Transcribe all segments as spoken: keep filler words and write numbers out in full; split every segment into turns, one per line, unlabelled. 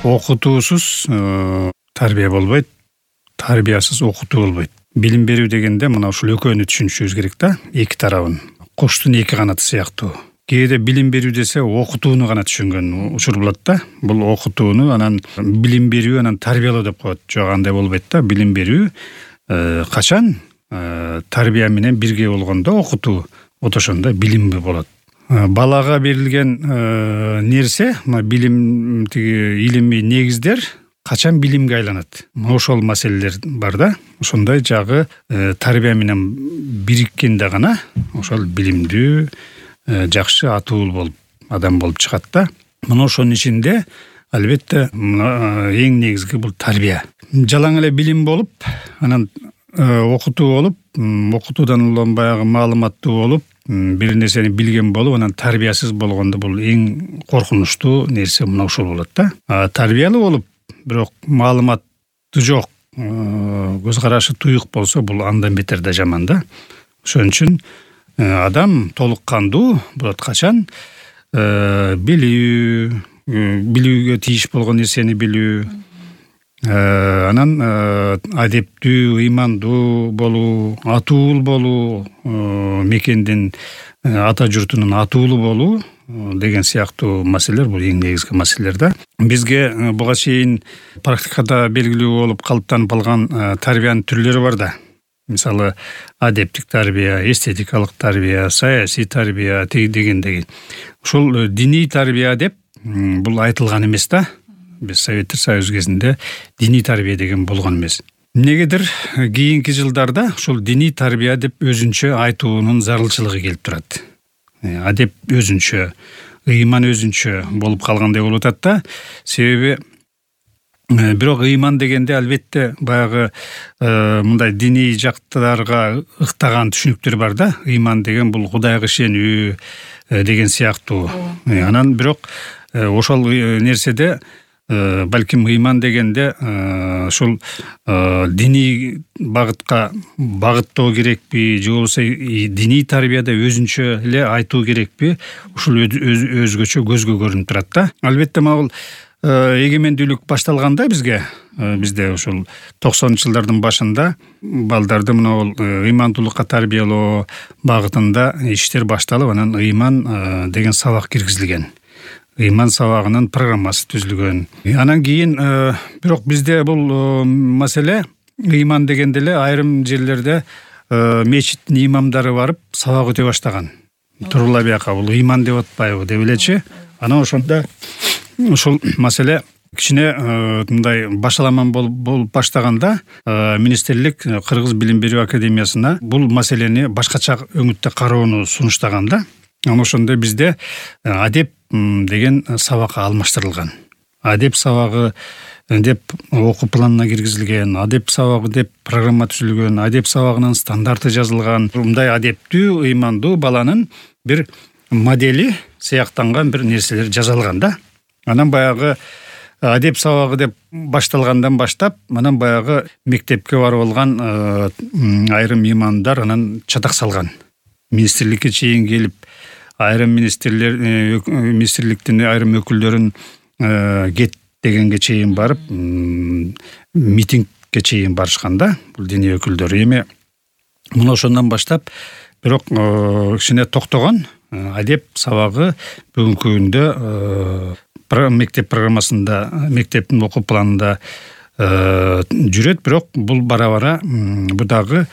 окутуусуз тарбия болбойт, тарбиясыз окутуу болбойт. Билим берүү дегенде мына ушул экөөнү түшүнүшүбүз керек да, эки тарабын. Куштун эки канаты сыяктуу. Кээде билим берүү десе окутууну гана түшүнгөн учур болот да. Бул окутууну анан билим берүү анан тарбиялоо деп коет. Жок, андай болбойт да. Билим берүү качан тарбия менен бирге болгондо окутуу, вот ошондо билим болот. Балага берилген нерсе, билим, тиги илимий негиздер качан билимге айланат. Ошол маселелер бар да. Ошондой жагы тарбия менен бириккенде гана ошол билимдүү, жакшы атуул болуп адам болуп чыгат да. Мына ошонун ичинде албетте эң негизги бул тарбия. Жалаң эле билим болуп, анан окутуу болуп, окутуудан улам баягы маалыматтуу болуп, бир нерсени билген болуп, анан тарбиясыз болгондо бул эң коркунучтуу нерсе мына ушул болот да. Тарбиялуу болуп, бирок маалыматы жок, көз карашы туюк болсо, бул андан бетер да жаман да. Ошон үчүн адам толук кандуу болот качан билүү, билүүгө тийиш болгон нерсени билүү, анан адептүү, ыймандуу болуу, атуул болуу, мекендин, ата журтунун атуулу болуу деген сыяктуу маселелер бул эң негизги маселелер да. Бизге буга чейин практикада белгилүү болуп калыптанып алган тарбиянын түрлөрү бар да. Мисалы, адептик тарбия, эстетикалык тарбия, саясий тарбия дегендеги. Ушул диний тарбия деп бул айтылган эмес да. Биз Советтер Союзу кезинде диний тарбия деген болгон эмес. Эмнегедир кийинки жылдарда ушул диний тарбия деп өзүнчө айтуунун зарылчылыгы келип турат. Адеп өзүнчө, ыйман өзүнчө болуп калгандай болуп атат да. Себеби бирок ыйман дегенде албетте баягы мындай диний жактарга ыктаган түшүнүктөр бар да. Ыйман деген бул Кудайга ишенүү деген сыяктуу. Анан бирок ошол нерседе балким ыйман дегенде ушул диний багытка багыттоо керекпи, же болбосо диний тарбияда өзүнчө эле айтуу керекпи, ушул өзгөчө көзгө көрүнүп турат да. Албетте могул эгемендүүлүк башталганда бизге, бизде ушул токсонунчу жылдардын башында балдарды мына бул ыймандуулукка тарбиялоо багытында иштер башталып, анан ыйман деген сабак киргизилген. Ыйман сабагынын программасы түзүлгөн. Анан кийин бирок бизде бул маселе ыйман дегенде эле айрым жерлерде мечиттин имамдары барып сабак өтө баштаган. Турула бияка бул ыйман деп атпайбы деп элечи. Анан ошондо ушул маселе кичине мындай башаламан болуп баштаганда министрлик Кыргыз билим берүү академиясына бул маселени башкача өңүттө кароону сунуштаган да. Анан ошондо бизде адеп деген сабакка алмаштырылган. Адеп сабагы деп окуу планына киргизилген, адеп сабагы деп программа түзүлгөн, адеп сабагынын стандарты жазылган. Мындай адептүү, ыймандуу баланын бир модели сыяктанган бир нерселер жазылган да. Анан баягы адеп сабагы деп башталгандан баштап, анан баягы мектепке барып алган айрым имамдар анан чатак салган. Министрликке чейин келип, айрым министрлер, министрликтин айрым өкүлдөрүн кет дегенге чейин барып, митингге чейин барышкан да, бул диний өкүлдөр. Эми мына ошондон баштап, бирок кичине токтогон. Адеп сабагы бүгүнкү күндө мектеп программасында, мектептин окуу планында жүрөт, бирок бул бара-бара бу дагы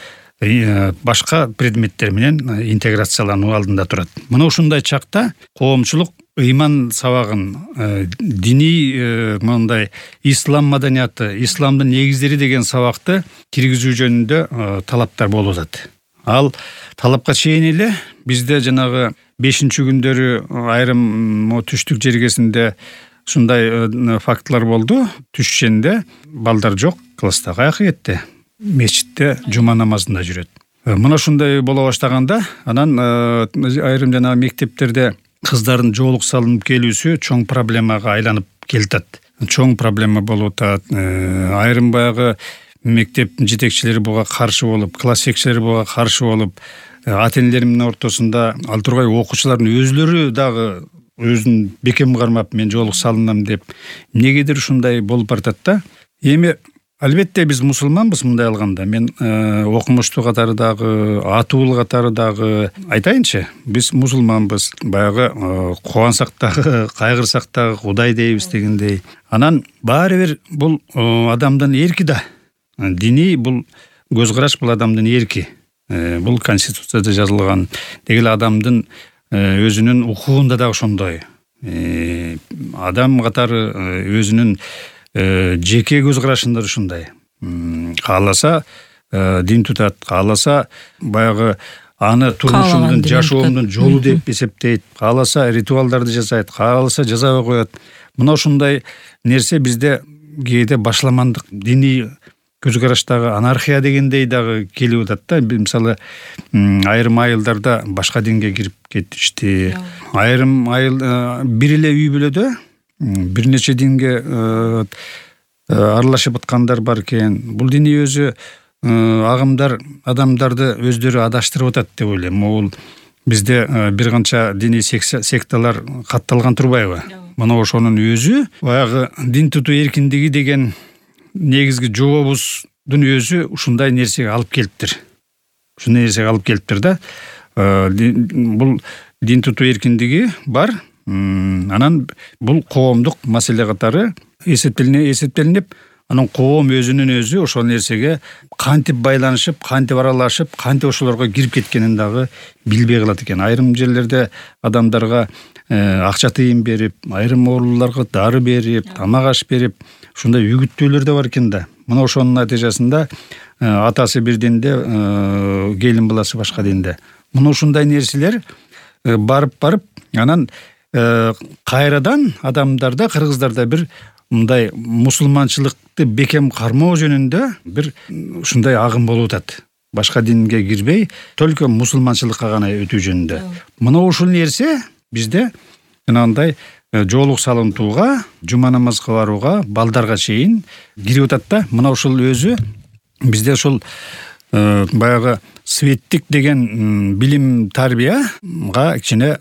башка предметтер менен интеграциялануу алдында турат. Мына ушундай чакта коомчулук ыйман сабагын, диний мындай ислам маданияты, исламдын негиздери деген сабакты киргизүү жөнүндө талаптар болуп атат. Ал талапка чейин эле бизде жанагы бешинчи күндөрү айрым түштүк жергесинде ушундай фактылар болду. Түшченде балдар жок класста, каяка кетти? Мечитте жума намазында жүрөт. Мына ушундай боло баштаганда, анан айрым жана мектептерде кыздардын жоолук салынып келүүсү чоң проблемага айланып келатат. Чоң проблема болуп атат. Айрым баягы мектептин жетекчилери буга каршы болуп, класс жетекчилери буга каршы болуп, ата-энелердин ортосунда ал тургай окуучулардын өзлөрү дагы өзүн бекем кармап мен жоолук салынам деп эмнегедир ушундай болуп баратат да. Эми албетте биз мусулманбыз мындай алганда. Мен окумуштуу катары дагы, атуул катары дагы айтайынчы. Биз мусулманбыз. Баягы кубансак дагы, кайгырсак дагы Кудай дейбиз дегендей. Анан баары бир бул адамдын эрки да. Диний бул көз караш, бул адамдын эрки. Бул конституцияда жазылган. Деги эле адамдын өзүнүн укугунда дагы ошондой. Адам катары өзүнүн жеке көз карашында ушундай. Кааласа дин тутат, кааласа баягы аны турмушумдун, жашоомдун жолу деп эсептейт, кааласа ритуалдарды жасайт, кааласа жазабай коет. Мына ушундай нерсе бизде кээде башламандык, диний көз караштагы анархия дегендей дагы келип атат да. Мисалы, айрым айылдарда башка динге кирип кетишти. Айрым айыл бир эле үй бүлөдө бир нече динге аралашып аткандар бар экен. Бул диний өзү агымдар адамдарды өздөрү адаштырып атат деп ойлойм. Бул бизде бир канча диний секталар катталган турбайбы? Мына ошонун өзү баягы дин тутуу эркиндиги деген негизги жообуздун өзү ушундай нерсеге алып келиптир. Ушундай нерсеге алып келиптир да. Бул дин тутуу эркиндиги бар. Анан бул коомдук маселе катары эсептелине эсептелинип, анан коом өзүнүн өзү ошол нерсеге кантип байланышып, кантип аралашып, кантип ошолорго кирип кеткенин дагы билбей калат экен. Айрым жерлерде адамдарга акча тыйын берип, айрым ооруларга дары берип, тамак аш берип, ушундай үгүттөөлөр да бар экен да. Мына ошонун натыйжасында атасы бир динде, келин баласы башка динде. Мына ушундай нерселер барып-барып, анан кайрадан адамдарда, кыргыздарда бир мындай мусулманчылыкты бекем кармоо жөнүндө бир ушундай агым болуп атат. Башка динге кирбей, только мусулманчылыкка гана өтүү жөнүндө. Мына ушул нерсе бизде жанагындай жоолук салынтууга, жума намазга барууга, балдарга чейин кирип атат да. Мына ушул өзү бизде ушул баягы светтик деген билим тарбияга кичине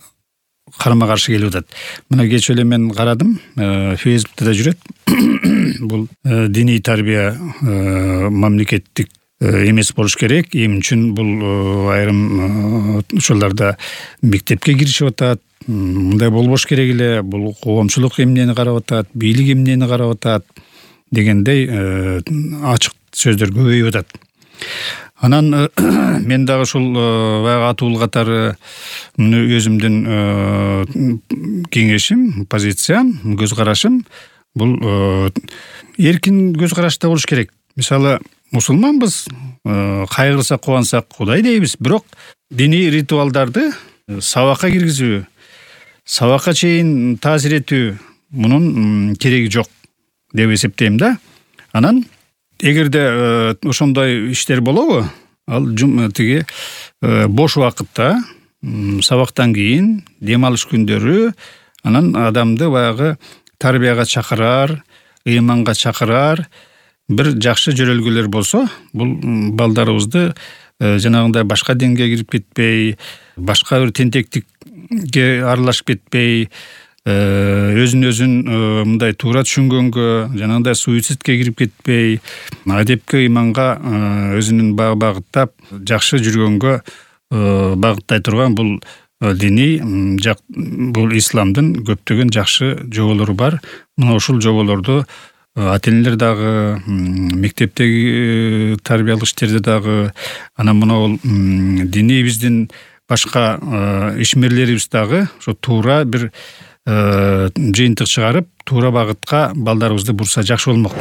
карама каршы келип атат. Мына кеч эле мен карадым, Фейсбукта да жүрөт. Бул диний тарбия мамлекеттик эмес болуш керек. Эмне үчүн бул айрым ошолорда мектепке киришип атат. Мындай болбош керек эле. Бул коомчулук эмнени карап атат, бийлик эмнени карап атат дегендей ачык сөздөр көбөйүп атат. Анан мен дагы ушул баягы атуул катары өзүмдүн кеңешим, позициям, көз карашым бул эркин көз карашта болуш керек. Мисалы, мусулманбыз, кайгырсак, кубансак Кудай дейбиз, бирок диний ритуалдарды сабакка киргизүү, сабакка чейин таасир этүү мунун кереги жок деп эсептейм да. Анан эгерде ошондой иштер болобу, ал тиги бош убакытта, сабактан кийин, дем алыш күндөрү, анан адамды баягы тарбияга чакырар, ыйманга чакырар бир жакшы жөрөлгөлөр болсо, бул балдарыбызды жанагындай башка динге кирип кетпей, башка бир тентектикке аралашып кетпей, өзүн өзүн мындай туура түшүнгөнгө, жанагындай суицидке кирип кетпей, адепке, ыйманга өзүнүн багыттап жакшы жүргөнгө багыттай турган бул диний бул исламдын көптөгөн жакшы жоболору бар. Мына ушул жоболорду ата-энелер дагы, мектептеги тарбиялык иштерде дагы, анан мына диний биздин башка ишмерлерибиз дагы ошо туура бир жыйынтык чыгарып, туура багытка балдарыбызды бурса жакшы болмок.